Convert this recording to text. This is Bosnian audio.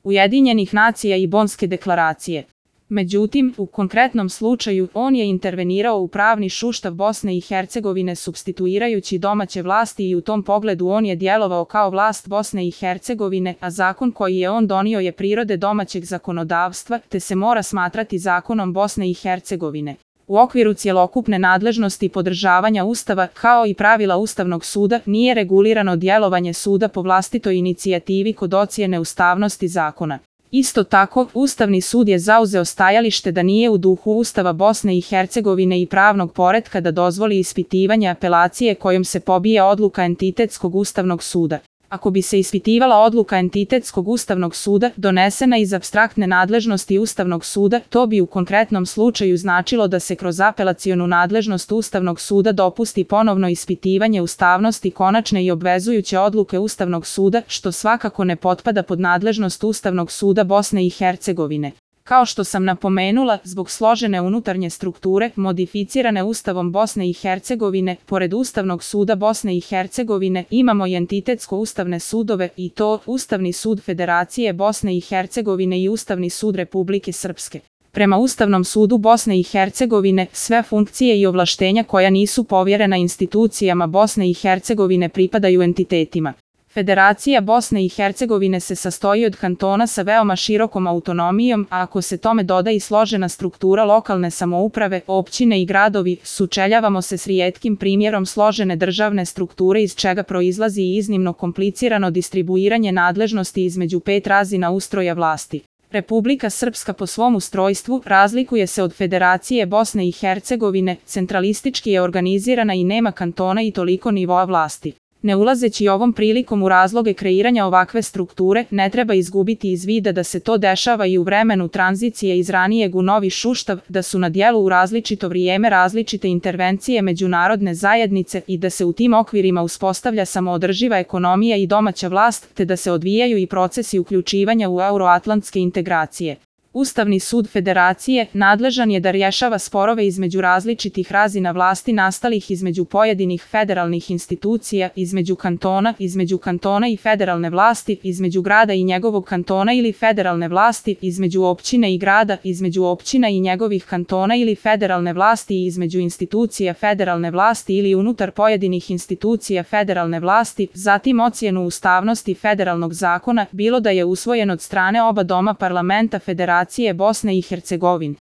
Ujedinjenih nacija i Bonske deklaracije. Međutim, u konkretnom slučaju, on je intervenirao u pravni sustav Bosne i Hercegovine supstituirajući domaće vlasti i u tom pogledu on je djelovao kao vlast Bosne i Hercegovine, a zakon koji je on donio je prirode domaćeg zakonodavstva, te se mora smatrati zakonom Bosne i Hercegovine. U okviru cjelokupne nadležnosti podržavanja Ustava, kao i pravila Ustavnog suda, nije regulirano djelovanje suda po vlastitoj inicijativi kod ocjene ustavnosti zakona. Isto tako, Ustavni sud je zauzeo stajalište da nije u duhu Ustava Bosne i Hercegovine i pravnog poretka da dozvoli ispitivanje apelacije kojom se pobija odluka entitetskog Ustavnog suda. Ako bi se ispitivala odluka entitetskog Ustavnog suda, donesena iz apstraktne nadležnosti Ustavnog suda, to bi u konkretnom slučaju značilo da se kroz apelacionu nadležnost Ustavnog suda dopusti ponovno ispitivanje ustavnosti konačne i obvezujuće odluke Ustavnog suda, što svakako ne potpada pod nadležnost Ustavnog suda Bosne i Hercegovine. Kao što sam napomenula, zbog složene unutarnje strukture, modificirane Ustavom Bosne i Hercegovine, pored Ustavnog suda Bosne i Hercegovine, imamo i entitetsko-ustavne sudove i to Ustavni sud Federacije Bosne i Hercegovine i Ustavni sud Republike Srpske. Prema Ustavnom sudu Bosne i Hercegovine, sve funkcije i ovlaštenja koja nisu povjerena institucijama Bosne i Hercegovine pripadaju entitetima. Federacija Bosne i Hercegovine se sastoji od kantona sa veoma širokom autonomijom, a ako se tome doda i složena struktura lokalne samouprave, općine i gradovi, sučeljavamo se s rijetkim primjerom složene državne strukture iz čega proizlazi i iznimno komplicirano distribuiranje nadležnosti između 5 razina ustroja vlasti. Republika Srpska po svom ustrojstvu razlikuje se od Federacije Bosne i Hercegovine, centralistički je organizirana i nema kantona i toliko nivoa vlasti. Ne ulazeći ovom prilikom u razloge kreiranja ovakve strukture, ne treba izgubiti iz vida da se to dešava i u vremenu tranzicije iz ranijeg u novi sustav, da su na djelu u različito vrijeme različite intervencije međunarodne zajednice i da se u tim okvirima uspostavlja samoodrživa ekonomija i domaća vlast, te da se odvijaju i procesi uključivanja u euroatlantske integracije. Ustavni sud Federacije nadležan je da rješava sporove između različitih razina vlasti nastalih između pojedinih federalnih institucija, između kantona i federalne vlasti, između grada i njegovog kantona ili federalne vlasti, između općine i grada, između općina i njegovih kantona ili federalne vlasti i između institucija federalne vlasti ili unutar pojedinih institucija federalne vlasti, zatim ocjenu ustavnosti federalnog zakona, bilo da je usvojen od strane oba doma parlamenta Federacije Bosne i Hercegovine.